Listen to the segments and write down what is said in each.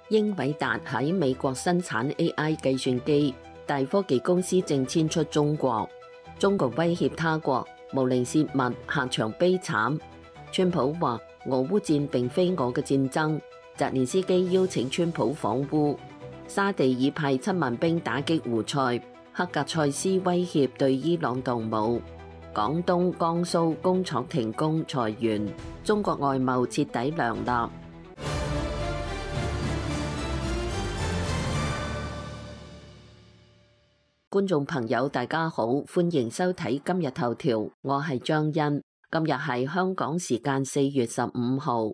英偉達喺美國生產 AI 計算機，大科技公司正遷出中國。中國威脅他國無令泄密，下場悲慘。川普話俄烏戰並非我嘅戰爭。澤連斯基邀請川普訪烏。沙地已派7萬兵打擊胡塞。克格塞斯威脅對伊朗動武。廣東、江蘇工廠停工裁員。中國外貿徹底涼立。觀眾朋友大家好，歡迎收睇今日頭條，我係張欣。今日係香港時間4月15號。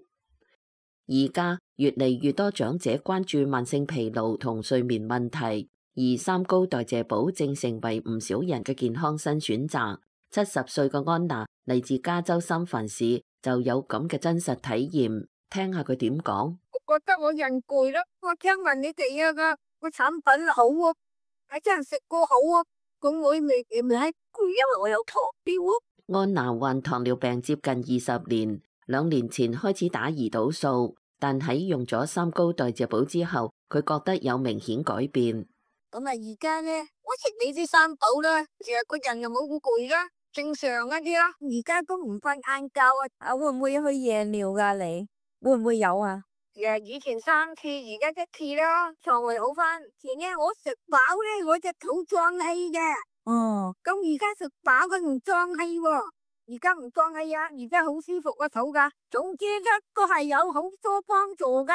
而家越嚟越多長者關注慢性疲勞同睡眠問題，而三高代謝寶正成為唔少人嘅健康新選擇。70歲嘅安娜嚟自加州三藩市，就有咁嘅真實體驗，聽下佢點講。我覺得我人攰啦，我聽聞你哋個產品好啊。係真係食過好啊！咁我未攰，因為我有糖尿啊。安娜患糖尿病接近20年，2年前開始打胰島素，但喺用咗三高代謝寶之後，佢覺得有明顯改變。咁啊，而家咧，我食你啲三寶啦，其實個人又冇咁攰啦，正常一啲啦。而家都唔瞓晏覺啊！會唔會去夜尿噶？你會唔會有啊？以前3次，而家1次啦，腸胃好翻。前日我食飽咧，我隻肚脹氣嘅。咁而家食飽佢唔脹氣喎，而家唔脹氣啊，而家好舒服個肚噶。總之咧都係有好多幫助嘅。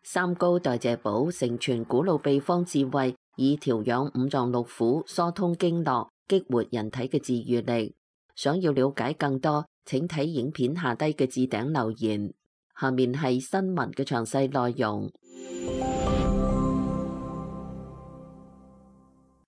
三高代謝寶承傳古老秘方智慧，以調養五臟六腑、疏通經絡、激活人體嘅治癒力。想要了解更多，請睇影片下低嘅置頂留言。下面係新聞嘅詳細內容。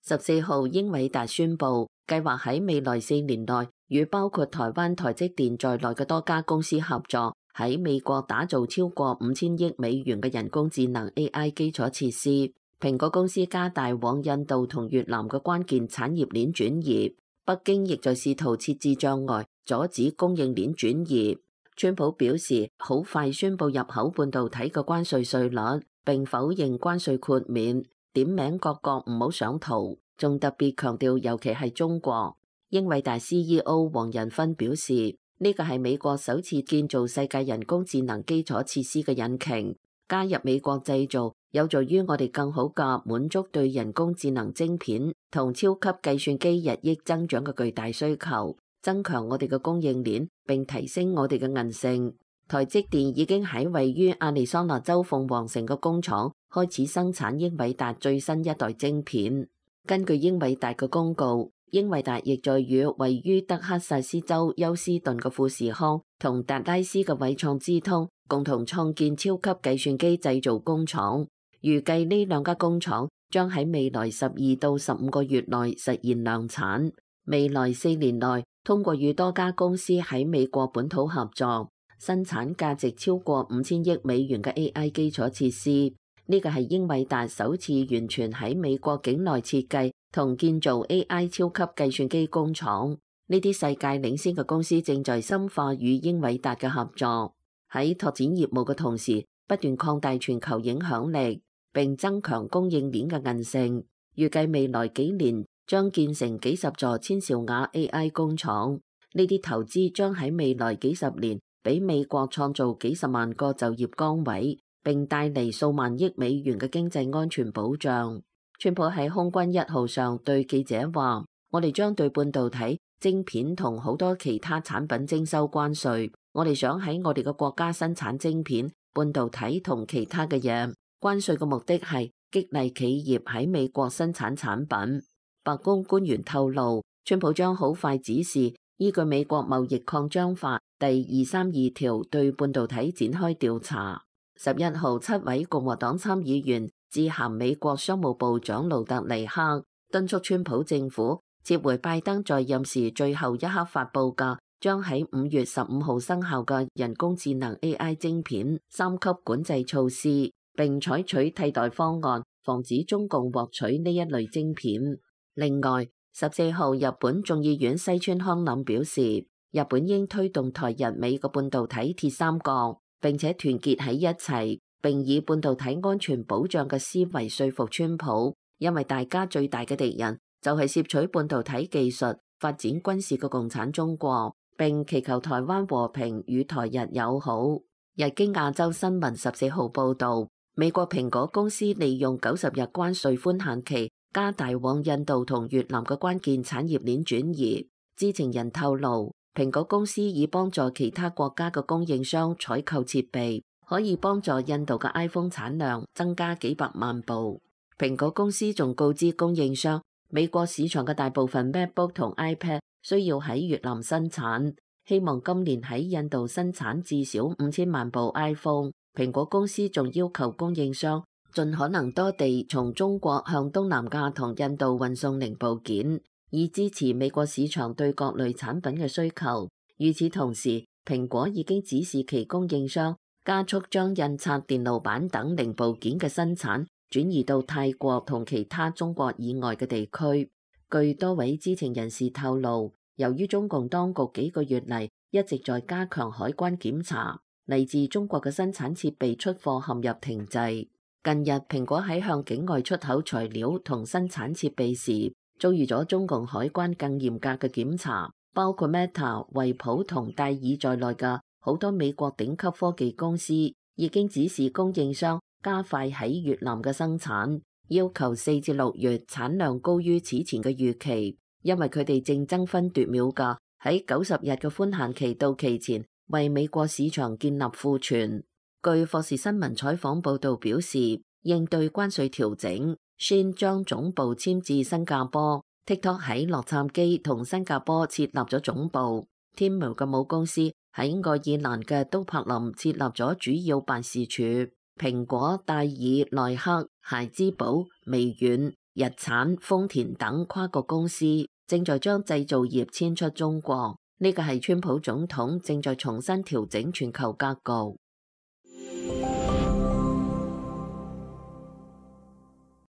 14號，英偉達宣布計劃喺未來4年內，與包括台灣台積電在內嘅多家公司合作，喺美國打造超過5000億美元嘅人工智能 AI 基礎設施。蘋果公司加大往印度同越南嘅關鍵產業鏈轉移，北京亦在試圖設置障礙，阻止供應鏈轉移。川普表示好快宣布入口半導體嘅關稅稅率，並否認關稅豁免，點名各國唔好上圖，仲特別強調尤其係中國。英偉達 CEO 黃仁勳表示，呢個係美國首次建造世界人工智能基礎設施嘅引擎，加入美國製造有助於我哋更好嘅滿足對人工智能晶片同超級計算機日益增長嘅巨大需求，增強我哋嘅供應鏈，並提升我哋嘅韌性。台積電已經喺位於亞利桑那州鳳凰城嘅工廠開始生產英偉達最新一代晶片。根據英偉達嘅公告，英偉達亦在與位於德克薩斯州休斯頓嘅富士康同達拉斯嘅偉創資通共同創建超級計算機製造工廠。預計呢兩家工廠將喺未來12到15個月內實現量產。未來4年內，通過與多家公司喺美國本土合作，生產價值超過5000億美元嘅 AI 基礎設施。呢個係英偉達首次完全喺美國境內設計同建造 AI 超級計算機工廠。呢啲世界領先嘅公司正在深化與英偉達嘅合作，喺拓展業務嘅同時，不斷擴大全球影響力，並增強供應鏈嘅韌性。預計未來幾年將建成幾十座千兆瓦 AI 工廠。呢啲投資將喺未來幾十年俾美國創造幾十萬個就業崗位，並帶嚟數萬億美元嘅經濟安全保障。川普喺空軍1號上對記者話：我哋將對半導體、晶片同好多其他產品徵收關稅。我哋想喺我哋嘅國家生產晶片、半導體同其他嘅嘢。關稅嘅目的係激勵企業喺美國生產產品。白宮官員透露，川普將好快指示依據美國貿易擴張法第232條對半導體展開調查。11號，7位共和黨參議員致函美國商務部長盧特尼克，敦促川普政府撤回拜登在任時最後一刻發布嘅將喺5月15號生效嘅人工智能 AI 晶片3級管制措施，並採取替代方案，防止中共獲取呢一類晶片。另外，14號，日本眾議院西村康稔表示，日本應推動台日美嘅半導體鐵三角，並且團結喺一齊，並以半導體安全保障嘅思維說服川普，因為大家最大嘅敵人就係攝取半導體技術、發展軍事嘅共產中國，並祈求台灣和平與台日友好。日經亞洲新聞14號報導，美國蘋果公司利用90日關稅寬限期，加大往印度同越南嘅關鍵產業鏈轉移。知情人透露，蘋果公司已幫助其他國家嘅供應商採購設備，可以幫助印度嘅 iPhone 產量增加幾百萬部。蘋果公司仲告知供應商，美國市場嘅大部分 MacBook 同 iPad 需要喺越南生產，希望今年喺印度生產至少5000萬部 iPhone。蘋果公司仲要求供應商盡可能多地從中國向東南亞同印度運送零部件，以支持美國市場對各類產品嘅需求。與此同時，蘋果已經指示其供應商加速將印刷電路板等零部件嘅生產轉移到泰國同其他中國以外嘅地區。據多位知情人士透露，由於中共當局幾個月嚟一直在加強海關檢查，嚟自中國嘅生產設備出貨陷入停滯。近日，蘋果喺向境外出口材料同生產設備時，遭遇咗中共海關更嚴格嘅檢查，包括 Meta、惠普同戴爾在內嘅好多美國頂級科技公司已經指示供應商加快喺越南嘅生產，要求4至6月產量高於此前嘅預期，因為佢哋正爭分奪秒嘅喺90日嘅寬限期到期前為美國市場建立庫存。據霍士新聞採訪報導表示，應對關稅調整，Shein將總部遷至新加坡 ，TikTok 喺洛杉磯同新加坡設立咗總部，Temu 嘅母公司喺愛爾蘭嘅都柏林設立咗主要辦事處。蘋果、戴爾、耐克、孩之寶、微軟、日產、豐田等跨國公司正在將製造業遷出中國。呢個係川普總統正在重新調整全球格局。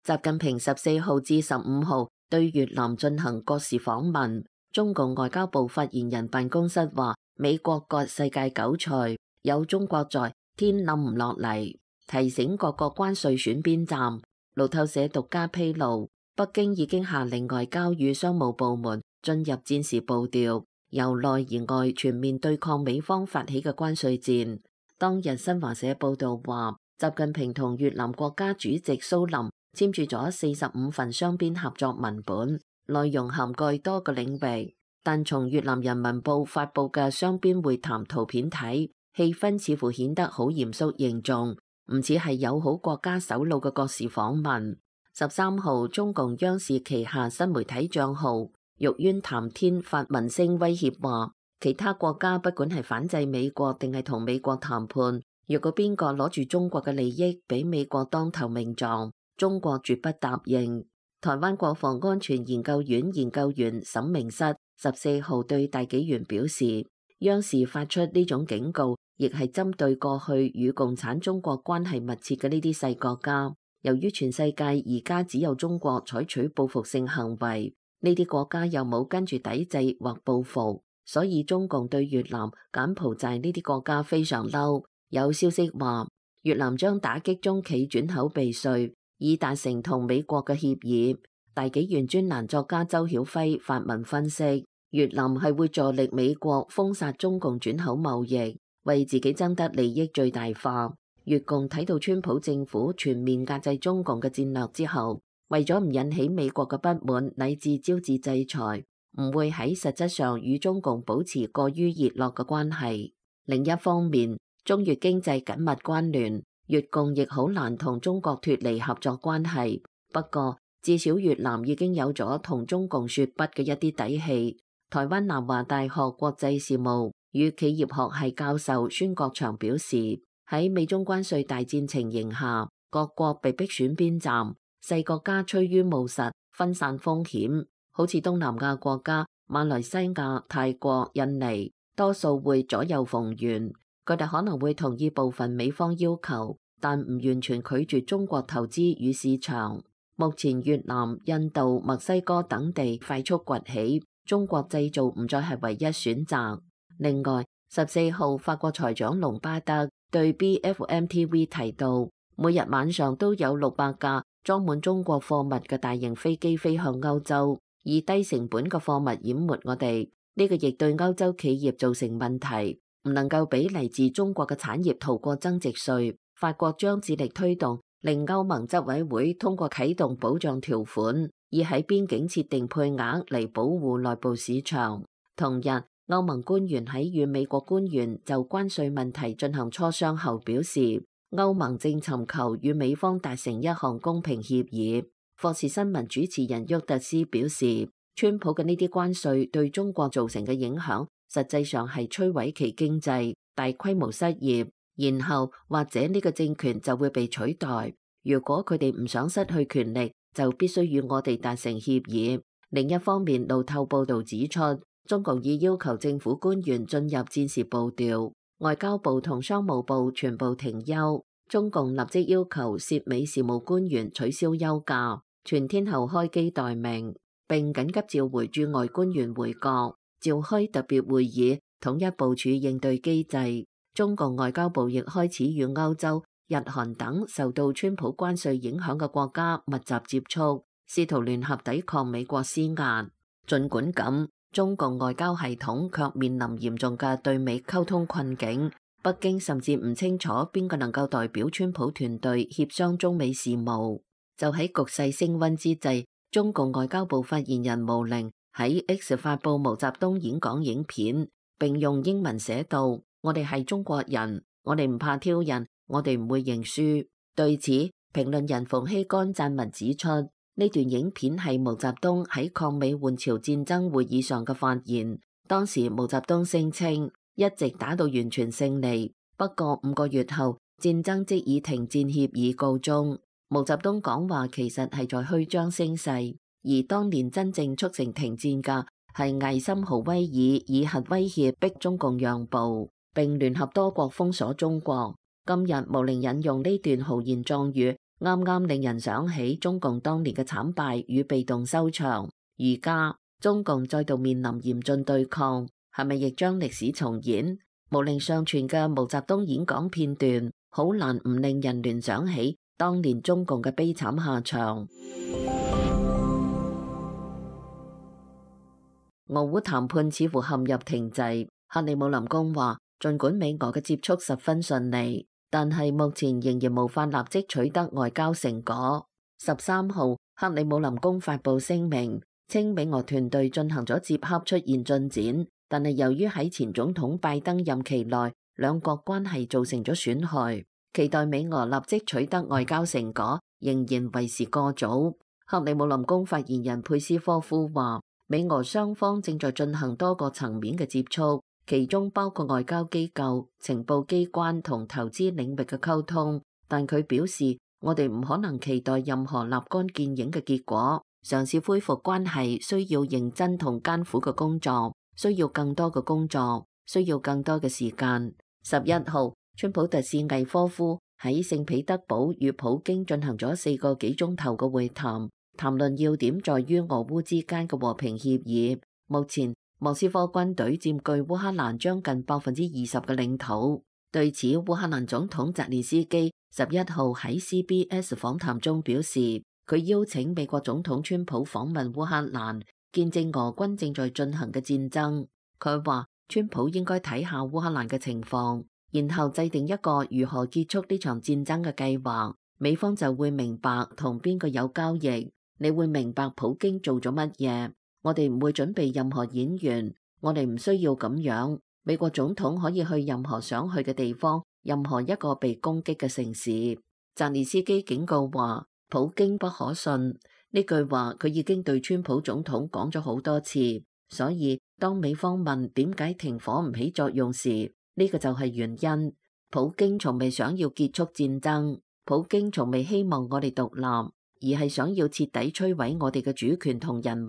習近平14號至15號對越南進行國事訪問。中共外交部發言人辦公室話：美國割世界韭菜，有中國在，天冧唔落嚟。提醒各國關稅選邊站。路透社獨家披露，北京已經下令外交與商務部門進入戰時步調，由內而外全面對抗美方發起嘅關稅戰。當日新華社報道話，習近平同越南國家主席蘇林簽署咗45份雙邊合作文本，內容涵蓋多個領域。但從越南人民報發佈嘅雙邊會談圖片睇，氣氛似乎顯得好嚴肅凝重，唔似係友好國家首腦嘅國事訪問。13號，中共央視旗下新媒體帳號玉淵談天發文聲威脅話，其他國家不管係反制美國定係同美國談判，若果邊個攞住中國嘅利益俾美國當頭命撞，中國絕不答應。台灣國防安全研究院研究員沈明室14號對大紀元表示，央視發出呢種警告，亦係針對過去與共產中國關係密切嘅呢啲細國家。由於全世界而家只有中國採取報復性行為，呢啲國家又冇跟住抵制或報復，所以中共對越南、柬埔寨呢啲國家非常嬲。有消息話，越南將打擊中企轉口避稅，以達成同美國嘅協議。大紀元專欄作家周曉輝發文分析，越南係會助力美國封殺中共轉口貿易，為自己爭得利益最大化。越共睇到川普政府全面壓制中共嘅戰略之後，為咗唔引起美國嘅不滿，乃至招致制裁，唔會喺實質上與中共保持過於熱絡嘅關係。另一方面，中越經濟緊密關聯，越共亦好難同中國脫離合作關係。不過，至少越南已經有咗同中共說不嘅一啲底氣。台灣南華大學國際事務與企業學系教授孫國祥表示，喺美中關稅大戰情形下，各國被逼選邊站，細國家趨於務實，分散風險。好似東南亞國家馬來西亞、泰國、印尼，多數會左右逢源。佢哋可能會同意部分美方要求，但唔完全拒絕中國投資與市場。目前越南、印度、墨西哥等地快速崛起，中國製造唔再係唯一選擇。另外，14號法國財長隆巴德對 BFM-TV 提到，每日晚上都有600架裝滿中國貨物嘅大型飛機飛向歐洲，以低成本嘅貨物淹沒我哋。呢個亦對歐洲企業造成問題，唔能夠俾嚟自中國嘅產業逃過增值稅。法國將致力推動，令歐盟執委會通過啟動保障條款，以喺邊境設定配額嚟保護內部市場。同日，歐盟官員喺與美國官員就關稅問題進行磋商後表示，歐盟正尋求與美方達成一項公平協議。霍士新聞主持人沃特斯表示，川普嘅呢啲關稅對中國造成嘅影響，實際上係摧毀其經濟、大規模失業，然後或者呢個政權就會被取代。如果佢哋唔想失去權力，就必須與我哋達成協議。另一方面，路透報導指出，中共已要求政府官員進入戰時步調，外交部同商務部全部停休。中共立即要求涉美事務官員取消休假，全天候開機待命，並緊急召回駐外官員回國，召開特別會議，統一部署應對機制。中共外交部亦開始與歐洲、日韓等受到川普關稅影響嘅國家密集接觸，試圖聯合抵抗美國施壓。儘管咁，中共外交系統卻面臨嚴重嘅對美溝通困境。北京甚至唔清楚邊個能夠代表川普團隊協商中美事務。就喺局勢升溫之際，中共外交部發言人毛寧喺 X 發布毛澤東演講影片，並用英文寫道：我哋係中國人，我哋唔怕挑釁，我哋唔會認輸。對此，評論人馮睎乾撰文指出，呢段影片係毛澤東喺抗美援朝戰爭會議上嘅發言。當時毛澤東聲稱一直打到完全勝利，不過5個月後戰爭即以停戰協議告終。毛澤東講話其實係在虛張聲勢，而當年真正促成停戰嘅係艾森豪威爾以核威脅逼中共讓步，並聯合多國封鎖中國。今日毛寧引用呢段豪言壯語，啱啱令人想起中共當年嘅慘敗與被動收場。而家中共再度面臨嚴峻對抗，係咪亦將歷史重演？毛寧上傳嘅毛澤東演講片段，好難唔令人聯想起當年中共嘅悲慘下場。俄烏談判似乎陷入停滯。克里姆林宮話，儘管美俄嘅接觸十分順利，但係目前仍然無法立即取得外交成果。13號，克里姆林宮發布聲明，稱美俄團隊進行咗接洽出現進展，但係由於喺前總統拜登任期內兩國關係造成咗損害，期待美俄立即取得外交成果仍然為時過早。克里姆林宮發言人佩斯科夫話，美俄雙方正在進行多個層面嘅接觸，其中包括外交機構、情報機關同投資領域嘅溝通。但佢表示，我哋唔可能期待任何立竿見影嘅結果。嘗試恢復關係需要認真同艱苦嘅工作，需要更多嘅工作，需要更多嘅時間。11號，川普特使魏科夫喺聖彼得堡與普京進行咗4個幾鐘頭嘅會談。談論要點在於俄烏之間嘅和平協議。目前莫斯科軍隊佔據烏克蘭將近20%嘅領土。對此，烏克蘭總統澤連斯基11號喺 CBS 訪談中表示，佢邀請美國總統川普訪問烏克蘭，見證俄軍正在進行嘅戰爭。佢話川普應該睇下烏克蘭嘅情況，然後制定一個如何結束呢場戰爭嘅計劃。美方就會明白同邊個有交易。你會明白普京做咗乜嘢。我哋唔會準備任何演員，我哋唔需要咁樣。美國總統可以去任何想去嘅地方，任何一個被攻擊嘅城市。澤連斯基警告話，普京不可信。呢句話佢已經對川普總統講咗好多次。所以當美方問點解停火唔起作用時，呢個就係原因。普京從未想要結束戰爭，普京從未希望我哋獨立，而係想要徹底摧毀我哋嘅主權同人民。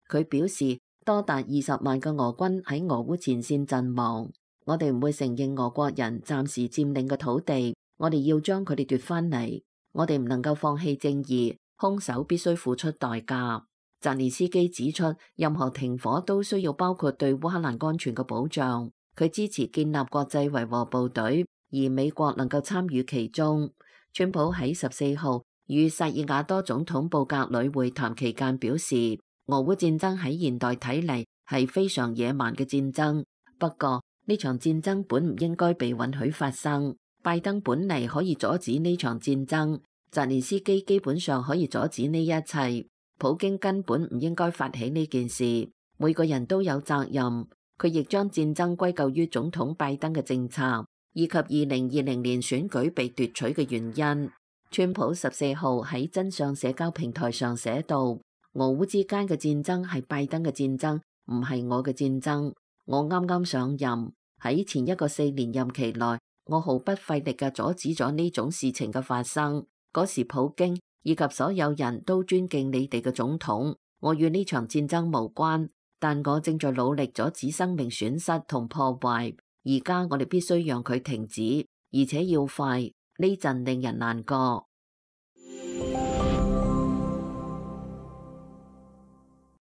佢表示，多達20萬嘅俄軍喺俄烏前線陣亡，我哋唔會承認俄國人暫時佔領嘅土地，我哋要將佢哋奪翻嚟。我哋唔能夠放棄正義，兇手必須付出代價。澤連斯基指出，任何停火都需要包括對烏克蘭安全嘅保障。佢支持建立國際維和部隊，而美國能夠參與其中。川普喺14號與薩爾瓦多總統布格里會談期間表示，俄烏戰爭喺現代睇嚟係非常野蠻嘅戰爭，不過呢場戰爭本唔應該被允許發生。拜登本嚟可以阻止呢場戰爭，澤連斯基基本上可以阻止呢一切，普京根本唔應該發起呢件事。每個人都有責任。佢亦將戰爭歸咎於總統拜登嘅政策，以及2020年選舉被奪取嘅原因。川普14號喺真相社交平台上寫道：俄烏之間嘅戰爭係拜登嘅戰爭，唔係我嘅戰爭。我啱啱上任，喺前一個4年任期內，我毫不費力嘅阻止咗呢種事情嘅發生。嗰時普京以及所有人都尊敬你哋嘅總統，我與呢場戰爭無關，但我正在努力阻止生命損失同破壞。而家我哋必須讓佢停止，而且要快。呢陣令人難過。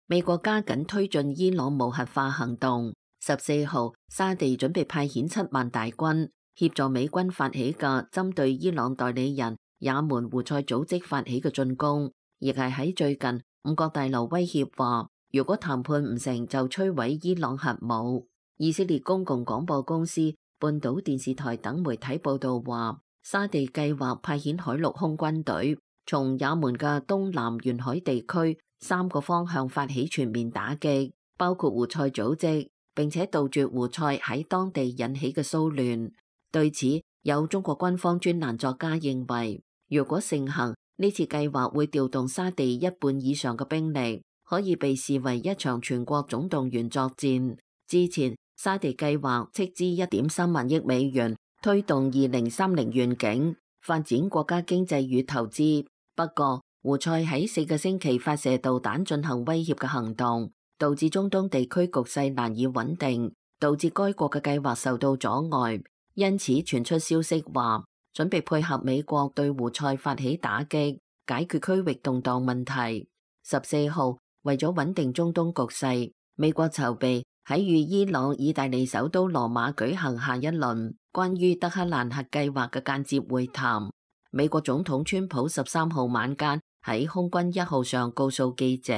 美國加緊推進伊朗無核化行動。14號，沙地準備派遣7萬大軍協助美軍發起嘅針對伊朗代理人也門胡塞組織發起嘅進攻，亦係喺最近五角大樓威脅話，如果談判唔成就摧毀伊朗核武。以色列公共廣播公司、半島電視台等媒體報道話，沙地計劃派遣海陸空軍隊，從也門嘅東南沿海地區3個方向發起全面打擊，包括胡塞組織，並且杜絕胡塞喺當地引起嘅騷亂。對此，有中國軍方專欄作家認為，如果盛行，呢次計劃會調動沙地1半以上嘅兵力，可以被視為一場全國總動員作戰。之前，沙地計劃斥資1.3萬億美元推動2030願景，發展國家經濟與投資。不過，胡塞喺4個星期發射導彈進行威脅嘅行動，導致中東地區局勢難以穩定，導致該國嘅計劃受到阻礙。因此傳出消息話，準備配合美國對胡塞發起打擊，解決區域動盪問題。14號，為咗穩定中東局勢，美國籌備喺與伊朗、意大利首都羅馬舉行下一輪關於德黑蘭核計劃嘅間接會談。美國總統川普13號晚間喺空軍1號上告訴記者，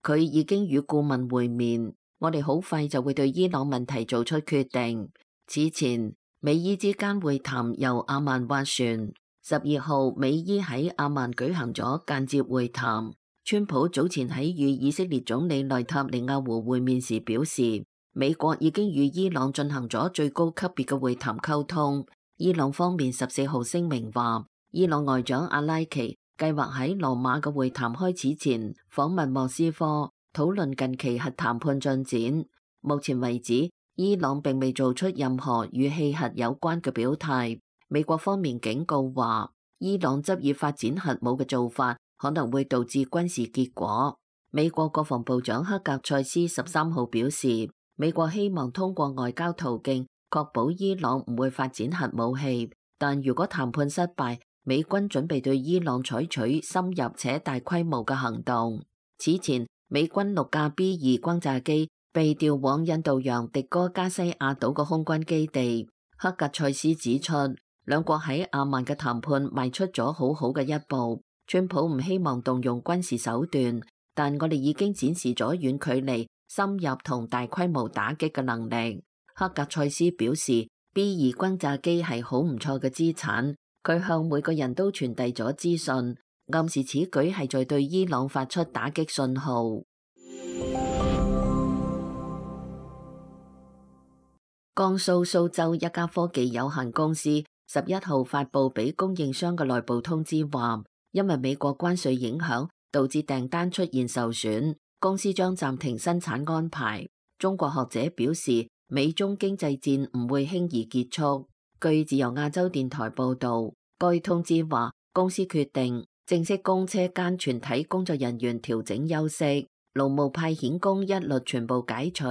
佢已經與顧問會面，我哋好快就會對伊朗問題做出決定。此前，美伊之間會談由阿曼斡旋。12號，美伊喺阿曼舉行咗間接會談。川普早前喺與以色列總理內塔尼亞胡會面時表示，美國已經與伊朗進行咗最高級別嘅會談溝通。伊朗方面14號聲明話，伊朗外長阿拉奇計劃喺羅馬嘅會談開始前訪問莫斯科，討論近期核談判進展。目前為止，伊朗並未做出任何與氣核有關嘅表態。美國方面警告話，伊朗執意發展核武嘅做法可能會導致軍事結果。美國國防部長克格塞斯13號表示，美國希望通過外交途徑確保伊朗唔會發展核武器，但如果談判失敗，美軍準備對伊朗採取深入且大規模嘅行動。此前，美軍6架 B-2 轟炸機被調往印度洋迪戈加西亞島嘅空軍基地。克格塞斯指出，兩國喺阿曼嘅談判邁出咗好好嘅一步。川普唔希望動用軍事手段，但我哋已經展示咗遠距離、深入同大規模打擊嘅能力。克格塞斯表示 ，B-2 轟炸機係好唔錯嘅資產。佢向每個人都傳遞咗資訊，暗示此舉係在對伊朗發出打擊信號。江蘇蘇州一家科技有限公司11號發布俾供應商嘅內部通知話，因為美國關稅影響，導致訂單出現受損，公司將暫停生產安排。中國學者表示，美中經濟戰唔會輕易結束。據自由亞洲電台報導，該通知話，公司決定正式供車間全體工作人員調整休息，勞務派遣工一律全部解除，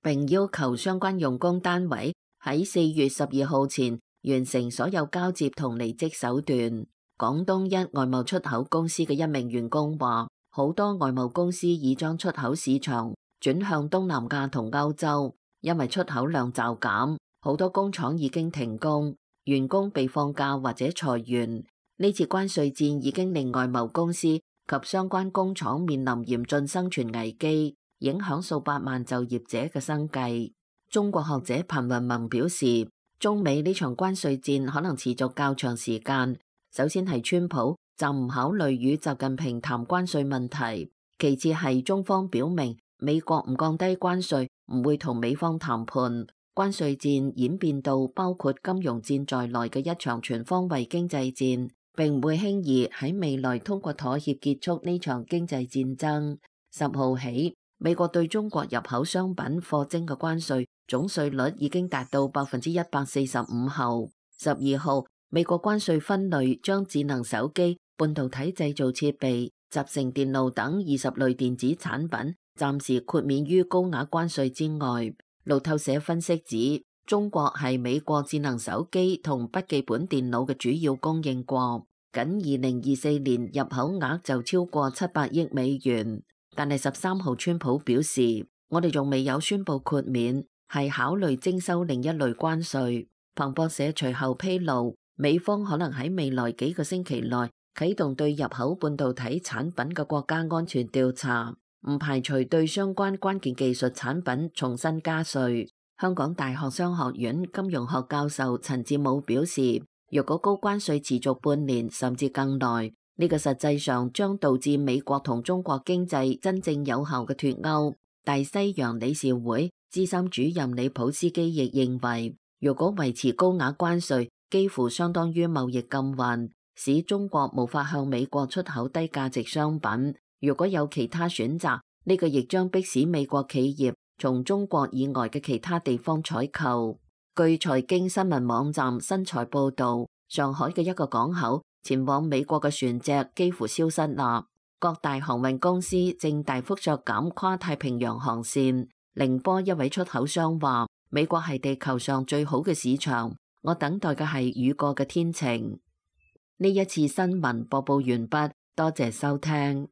並要求相關用工單位喺4月12號前完成所有交接同離職手段。廣東一外貿出口公司嘅一名員工話，好多外貿公司已將出口市場轉向東南亞同歐洲，因為出口量驟減。好多工廠已經停工，員工被放假或者裁員。呢次關稅戰已經令外貿公司及相關工廠面臨嚴峻生存危機，影響數百萬就業者嘅生計。中國學者彭雲萌表示，中美呢場關稅戰可能持續較長時間。首先係川普暫唔考慮與習近平談關稅問題，其次係中方表明美國唔降低關稅唔會同美方談判。關稅戰演變到包括金融戰在內嘅一場全方位經濟戰，並唔會輕易喺未來通過妥協結束呢場經濟戰爭。10號起，美國對中國入口商品課徵嘅關稅總稅率已經達到145%後，12號美國關稅分類將智能手機、半導體製造設備、集成電路等20類電子產品暫時豁免於高額關稅之外。路透社分析指，中國係美國智能手機同筆記本電腦嘅主要供應國，僅2024年入口額就超過700億美元。但係13號川普表示，我哋仲未有宣布豁免，係考慮徵收另一類關稅。彭博社隨後披露，美方可能喺未來幾個星期內啟動對入口半導體產品嘅國家安全調查，唔排除對相關關鍵技術產品重新加稅。香港大學商學院金融學教授陳志武表示，若果高關稅持續半年甚至更耐，呢個實際上將導致美國同中國經濟真正有效嘅脫鈎。大西洋理事會資深主任李普斯基亦認為，如果維持高額關稅，幾乎相當於貿易禁運，使中國無法向美國出口低價值商品。如果有其他選擇，呢個亦將迫使美國企業從中國以外嘅其他地方採購。據財經新聞網站新財報道，上海嘅一個港口前往美國嘅船隻幾乎消失啦。各大航運公司正大幅削減跨太平洋航線。寧波一位出口商話，美國係地球上最好嘅市場，我等待嘅係雨過嘅天晴。呢一次新聞播報完畢，多謝收聽。